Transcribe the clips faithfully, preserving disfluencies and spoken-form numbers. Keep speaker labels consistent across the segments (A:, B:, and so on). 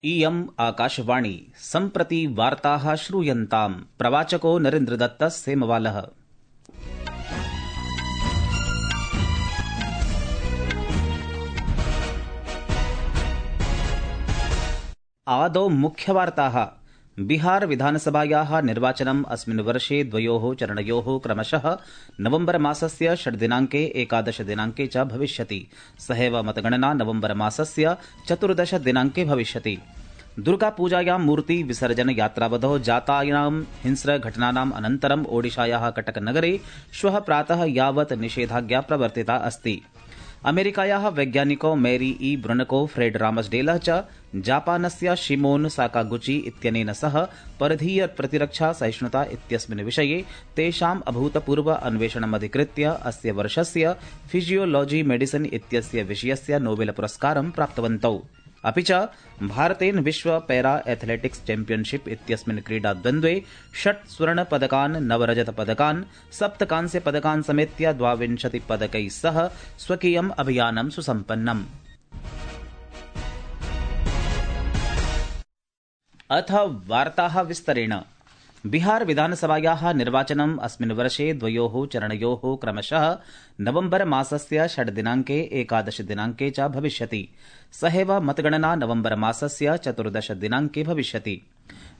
A: इयम् आकाशवाणी सम्प्रति वार्ताः श्रूयन्ताम्। प्रवाचको नरेन्द्रदत्तः सेमवालः। आदौ मुख्यवार्ताः। बिहार विधानसभायाः निर्वाचनम् अस्मिन् वर्षे द्वयोः चरणयोः क्रमशः नवम्बर मासस्य षड् दिनाङ्के एकादश दिनाङ्के च भविष्यति। सहैव मतगणना नवम्बर मासस्य चतुर्दश दिनाङ्के भविष्यति। दुर्गापूजायां मूर्ति विसर्जन यात्रावधौ जातानां हिंस्रघटनानाम् अनन्तरम् ओडिशायाः कटकनगरे श्वः प्रातः यावत् निषेधाज्ञा प्रवर्तिता अस्ति। अमेरिकायाः वैज्ञानिकौ मैरी ई ब्रुनको, फ्रेड रामसडेलः च जापानस्य शिमोन साकागुची इत्यनेन सह परधीय प्रतिरक्षा सहिष्णुता इत्यस्मिन् विषये तेषाम् अभूतपूर्व अन्वेषणमधिकृत्य अस्य वर्षस्य फिजियोलॉजी मेडिसिन इत्यस्य विषयस्य नोबेल पुरस्कारं प्राप्तवन्तौ। अपि च भारतेन विश्व पैरा एथलेटिक्स चैम्पियनशिप इत्यस्मिन् क्रीडाद्वन्द्वे षट् स्वर्णपदकान्, नव रजतपदकान्, सप्त कांस्यपदकान् समेत्य द्वाविंशतिपदकैः सह स्वकीयम् अभियानं सुसम्पन्नम्। अथ वार्ताः विस्तरेण। बिहार विधानसभायाः निर्वाचनम् अस्मिन् वर्षे द्वयोः चरणयोः क्रमशः नवम्बर मासस्य षड् दिनाङ्के एकादश दिनाङ्के च भविष्यति। सहैव मतगणना नवम्बर मासस्य चतुर्दश दिनाङ्के भविष्यति।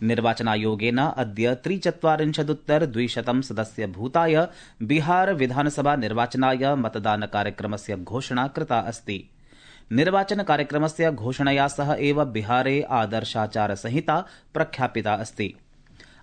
A: निर्वाचनायोगेन अद्य त्रिचत्वारिंशदुत्तर द्विशतं सदस्यभूताय बिहार विधानसभा निर्वाचनाय मतदानकार्यक्रमस्य घोषणा कृता अस्ति। निर्वाचन कार्यक्रमस्य घोषणया सह एव बिहारे आदर्शाचारसंहिता प्रख्यापिता अस्ति।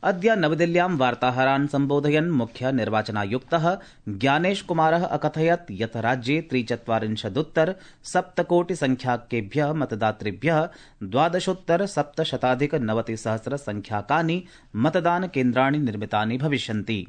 A: अद्य नवदिल्ल्यां वार्ताहरान् सम्बोधयन् मुख्य निर्वाचनायुक्तः ज्ञानेश कुमारः अकथयत् यत् राज्ये त्रिचत्वारिंशदुत्तर सप्तकोटिसंख्याकेभ्यः मतदातृभ्यः द्वादशोत्तर सप्तशताधिक नवतिसहस्र संख्याकानि मतदानकेन्द्राणि निर्मितानि भविष्यन्ति।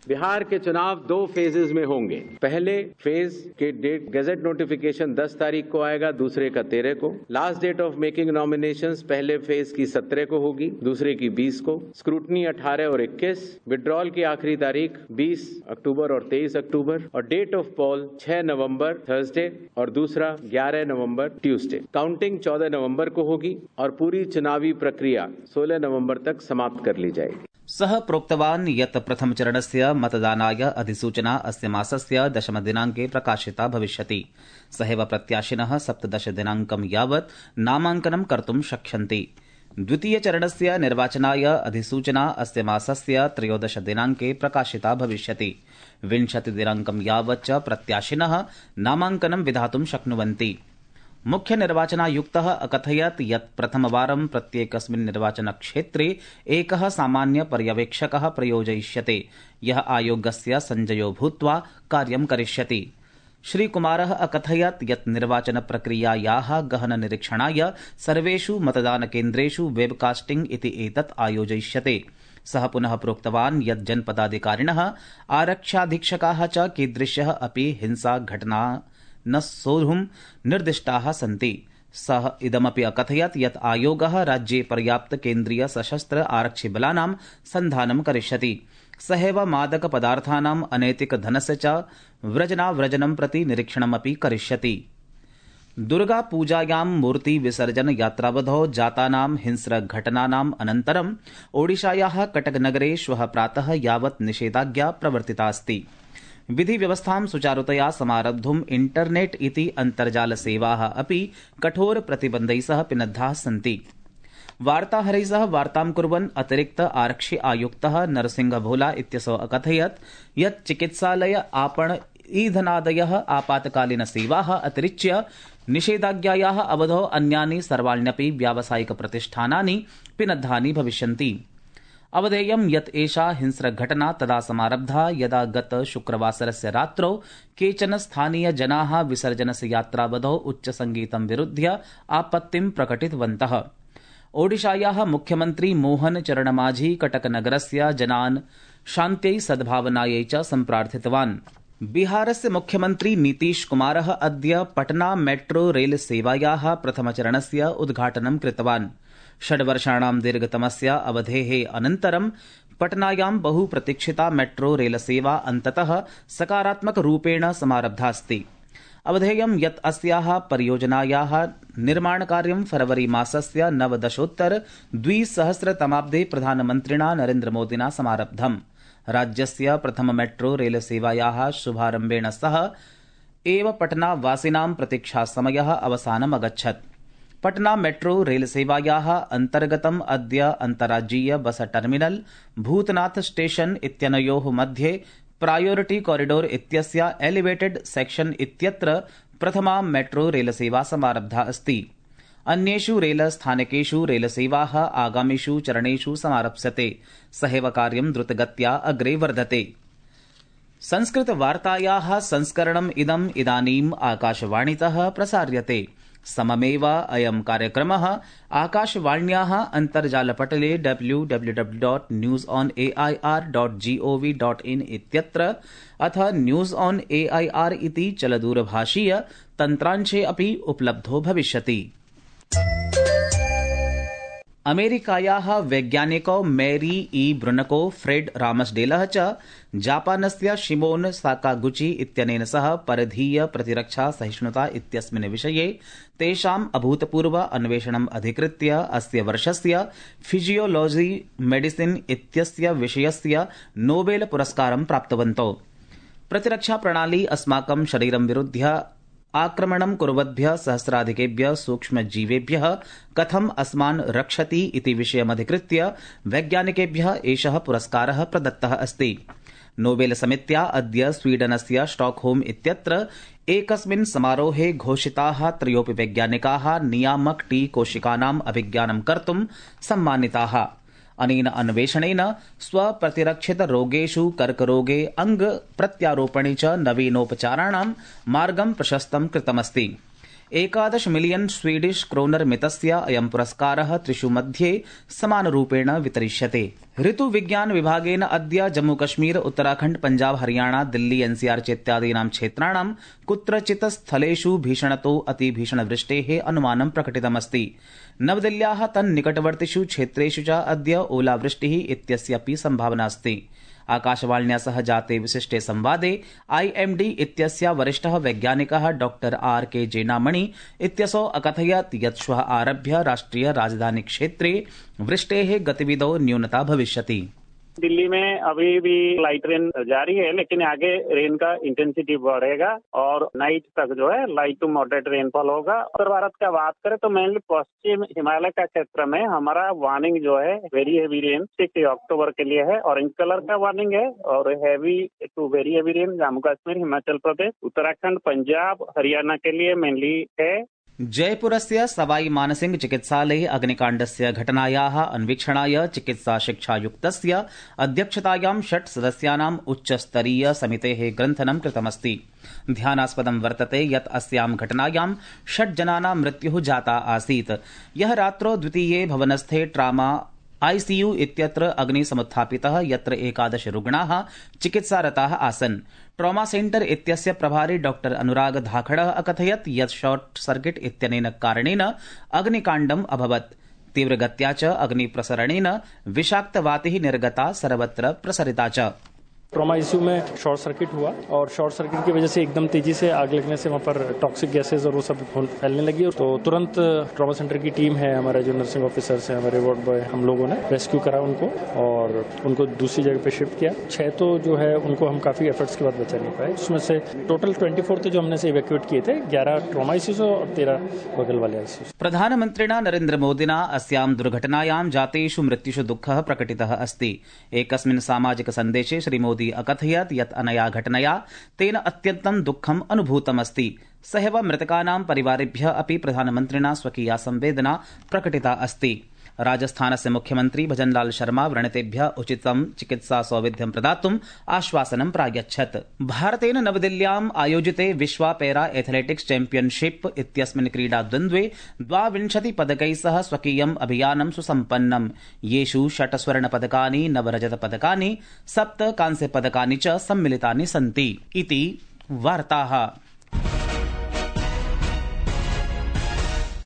B: बिहार के चुनाव दो फेजेज में होंगे। पहले फेज के डेट गजट नोटिफिकेशन दस तारीख को आएगा, दूसरे का तेरह को। Last date of making nominations पहले फेज की सत्रह को होगी, दूसरे की बीस को। स्क्रूटनी अठारह और इक्कीस। विड्रॉल की आखिरी तारीख बीस अक्टूबर और तेईस अक्टूबर और डेट ऑफ पोल छह नवंबर थर्सडे और दूसरा ग्यारह नवंबर ट्यूसडे। काउंटिंग चौदह नवंबर को होगी और पूरी चुनावी प्रक्रिया सोलह नवंबर तक समाप्त कर ली जाएगी।
A: सः प्रोक्तवान् यत् प्रथमचरणस्य मतदानाय अधिसूचना अस्य मासस्य दशमदिनाङ्के प्रकाशिता भविष्यति। सहैव प्रत्याशिनः सप्तदश दिनाङ्कं यावत् नामाङ्कनं कर्तुं शक्ष्यन्ति। द्वितीयचरणस्य निर्वाचनाय अधिसूचना अस्य मासस्य त्रयोदश दिनाङ्के प्रकाशिता भविष्यति। विंशतिदिनाङ्कं यावत् च प्रत्याशिनः नामाङ्कनं विधातुं शक्नुवन्ति। मुख्य निर्वाचनायुक्तः अकथयत् यत् प्रथमवारं प्रत्येकस्मिन् निर्वाचनक्षेत्रे एकः सामान्य पर्यवेक्षकः प्रयोजयिष्यते, यः आयोगस्य संजयो भूत्वा कार्यं करिष्यति। श्रीकुमारः अकथयत् यत् निर्वाचनप्रक्रियायाः गहन निरीक्षणाय सर्वेषु मतदानकेन्द्रेषु वेबकास्टिंग इति एतत् आयोजयिष्यते। सः पुनः प्रोक्तवान् यत् जनपदाधिकारिणः, आरक्षाधीक्षकाः च कीदृश्यः अपि हिंसाघटना न सोढुं निर्दिष्टाः सन्ति। सः इदमपि अकथयत् यत् आयोगः राज्ये पर्याप्त केन्द्रीय सशस्त्र आरक्षिबलानां सन्धानं करिष्यति। सहैव मादकपदार्थानाम् अनैतिक धनस्य च व्रजनाव्रजनं प्रति निरीक्षणमपि करिष्यति। दुर्गापूजायां मूर्ति विसर्जन यात्रावधौ जातानां हिंस्रघटनानाम् अनन्तरम् ओडिशायाः कटकनगरे श्वः प्रातः यावत् निषेधाज्ञा प्रवर्तिता अस्ति। विधि व्यवस्थां सुचारुतया समारब्धुम् इंटरनेट इति अन्तर्जालसेवाः अपि कठोर प्रतिबन्धैः सह पिनद्धाः सन्ति। वार्ताहरैः सह वार्तां कुर्वन् अतिरिक्त आरक्षि आयुक्तः नरसिंह भोला इत्यसौ अकथयत् यत् चिकित्सालय, आपण, ईधनादयः आपातकालीनसेवाः अतिरिच्य निषेधाज्ञायाः अवधौ अन्यानि सर्वाण्यपि व्यावसायिक प्रतिष्ठानानि पिनद्धानि भविष्यन्ति। अवधेयं यत् एषा हिंस्रघटना तदा समारब्धा यदा गत शुक्रवासरस्य रात्रौ केचन स्थानीयजनाः विसर्जनस्य यात्रावधौ उच्चसङ्गीतं विरुध्य आपत्तिं प्रकटितवन्तः। ओडिशायाः मुख्यमन्त्री मोहन चरणमाझी कटकनगरस्य जनान् शान्त्यै सद्भावनायै च सम्प्रार्थितवान्। बिहारस्य मुख्यमन्त्री नीतीश कुमारः अद्य पटना मेट्रो रेल सेवायाः प्रथमचरणस्य उद्घाटनं कृतवान्। षड्वर्षाणां दीर्घतमस्य अवधेः अनन्तरं पटनायां बहुप्रतीक्षिता मेट्रो रेलसेवा अन्ततः सकारात्मकरूपेण समारब्धास्ति। अवधेयं यत् अस्याः परियोजनायाः निर्माणकार्यं फरवरी मासस्य नवदशोत्तर द्विसहस्रतमाब्दे प्रधानमन्त्रिणा नरेन्द्रमोदिना समारब्धम्। राज्यस्य प्रथम मेट्रो रेलसेवायाः शुभारम्भेण सह एव पटनावासिनां प्रतीक्षासमयः अवसानम् अगच्छत्। पटना मेट्रो रेलसेवायाः अन्तर्गतम् अद्य अन्तर्राज्यीय बस टर्मिनल भूतनाथ स्टेशन इत्यनयोः मध्ये प्रायोरिटी कॉरिडोर इत्यस्य एलिवेटेड सेक्शन इत्यत्र प्रथमा मेट्रो रेलसेवा समारब्धा अस्ति। अन्येषु रेलस्थानकेषु रेलसेवाः आगामिषु चरणेषु समारप्स्यते। सहैव कार्यं द्रुतगत्या अग्रे वर्धते। संस्कृतवार्तायाः संस्करणम् इदम् इदानीम् आकाशवाणीतः प्रसार्यते। सममेव अयं कार्यक्रमः आकाशवाण्याः अन्तर्जालपटले W W W dot news on A I R dot G O V dot in इत्यत्र अथ news on A I R इति चलदूरभाषीय तन्त्रांशे अपि उपलब्धो भविष्यति। अमेरिकायाः वैज्ञानिकौ मैरी ई ब्रुनको फ्रेड रामसडेलः च जापानस्य शिमोन साकागुची इत्यनेन सह परधीय प्रतिरक्षा सहिष्णुता इत्यस्मिन् विषये तेषाम् अभूतपूर्व अन्वेषणम् अधिकृत्य अस्य वर्षस्य फिजियोलॉजी मेडिसिन इत्यस्य विषयस्य नोबेल पुरस्कारं प्राप्तवन्तौ। प्रतिरक्षा प्रणाली अस्माकं शरीरं विरुध्य आक्रमणं कुर्वद्भ्यः सहस्राधिकेभ्यः सूक्ष्मजीवेभ्यः कथम् अस्मान् रक्षति इति विषयमधिकृत्य वैज्ञानिकेभ्यः एषः पुरस्कारः प्रदत्तः अस्ति। नोबेल समित्या अद्य स्वीडनस्य स्टॉकहोम इत्यत्र एकस्मिन् समारोहे घोषिताः त्रयोऽपि वैज्ञानिकाः नियामक टी कोशिकानाम् अभिज्ञानं कर्तुं सम्मानिताः। अनेन अन्वेषणेन स्वप्रतिरक्षित रोगेषु कर्करोगे अंग प्रत्यारोपणे च नवीनोपचाराणां मार्गं प्रशस्तं कृतमस्ति। एकादश मिलियन स्वीडिश क्रोनर मितस्य अयं पुरस्कारः त्रिषु मध्ये समानरूपेण वितरिष्यते। ऋतुविज्ञान विभागेन अद्य जम्मूकश्मीर उत्तराखण्ड पंजाब हरियाणा दिल्ली एनसीआर चेत्यादीनां क्षेत्राणां कुत्रचित् स्थलेषु भीषणतो अतिभीषणवृष्टेः अनुमानं प्रकटितमस्ति। नवदिल्ल्याः तन्निकटवर्तिषु क्षेत्रेषु च अद्य ओलावृष्टिः इत्यस्यापि सम्भावना अस्ति। आकाशवाण्या सह जाते विशिष्टे संवादे आईएमडी इत्यस्य वरिष्ठः वैज्ञानिकः डॉक्टर आर के जेनामणि इत्यसौ अकथयत् यत् श्वः आरभ्य राष्ट्रिय राजधानी क्षेत्रे वृष्टेः गतिविधौ न्यूनता भविष्यति।
C: दिल्ली में अभी भी लाइट रेन जारी है, लेकिन आगे रेन का इंटेंसिटी बढ़ेगा और नाइट तक जो है लाइट टू मॉडरेट रेनफॉल होगा। उत्तर भारत का बात करें तो मेनली पश्चिम हिमालय का क्षेत्र में हमारा वार्निंग जो है very heavy rain six October के लिए है, ऑरेंज कलर का वार्निंग है। और heavy to very heavy rain Jammu Kashmir, Himachal Pradesh, Uttarakhand, Punjab, Haryana के लिए मेनली है।
A: जयपुरस्य सवाई मानसिंह चिकित्सालये अग्निकाण्डस्य घटनायाः अन्वीक्षणाय चिकित्सा शिक्षायुक्तस्य अध्यक्षतायां षट् सदस्यानाम् उच्चस्तरीय समितेः ग्रन्थनं कृतमस्ति। ध्यानास्पदं वर्तते यत् अस्यां घटनायां षट् जनानां मृत्युः जाता आसीत्। यः रात्रौ द्वितीये भवनस्थे ट्रामा आईसीयू इत्यत्र अग्निसमुत्थापितः, यत्र एकादश रुग्णाः चिकित्सारताः आसन्। ट्रॉमा सेंटर इत्यस्य प्रभारी डॉक्टर अनुराग धाखड़ः अकथयत् यत् शॉर्ट सर्किट इत्यनेन कारणेन अग्निकाण्डम् अभवत्। तीव्रगत्या च अग्निप्रसरणेन विषाक्तवातिः निर्गता, सर्वत्र प्रसरिता च।
D: ट्रॉमा आईसीयू में शॉर्ट सर्किट हुआ और शॉर्ट सर्किट की वजह से एकदम तेजी से आग लगने से वहाँ पर टॉक्सिक गैसेज और वो सब फैलने लगी। तो तुरंत ट्रॉमा सेंटर की टीम है, हमारे जो नर्सिंग ऑफिसर्स हैं, हमारे वार्ड बॉय, हम लोगों ने रेस्क्यू करा उनको और उनको दूसरी जगह पे शिफ्ट किया। छह तो जो है उनको हम काफी एफर्ट्स के बाद बचा नहीं पाए। उसमें से टोटल ट्वेंटी फोर थे जो हमने से इवैक्यूएट किए थे, ग्यारह ट्रॉमा आईसीयू और तेरह बगल वाले आईसीयू।
A: प्रधानमन्त्रिणा नरेन्द्र मोदिना अस्यां दुर्घटनायां जातेषु मृत्युषु दुःखः प्रकटितः अस्ति। एकस्मिन् सामाजिक सन्देशे श्रीमोदी अकथयत् यत् अनया घटनया तेन अत्यन्तं दुःखम् अनुभूतमस्ति। सहैव मृतकानां परिवारेभ्यः अपि प्रधानमन्त्रिणा स्वकीया संवेदना प्रकटिता अस्ति। राजस्थानस्य मुख्यमन्त्री भजनलाल शर्मा व्रणितेभ्यः उचितं चिकित्सा सौविध्यं प्रदातुम् आश्वासनं प्रायच्छत्। भारतेन नवदिल्ल्याम् आयोजिते विश्व पैरा एथलेटिक्स चैम्पियनशिप इत्यस्मिन् क्रीडाद्वन्द्वे द्वाविंशति पदकैः सह स्वकीयम् अभियानं सुसम्पन्नम्, येषु षट् स्वर्णपदकानि, नव रजतपदकानि, सप्त कांस्यपदकानि च सम्मिलितानि सन्ति इति वार्ताः।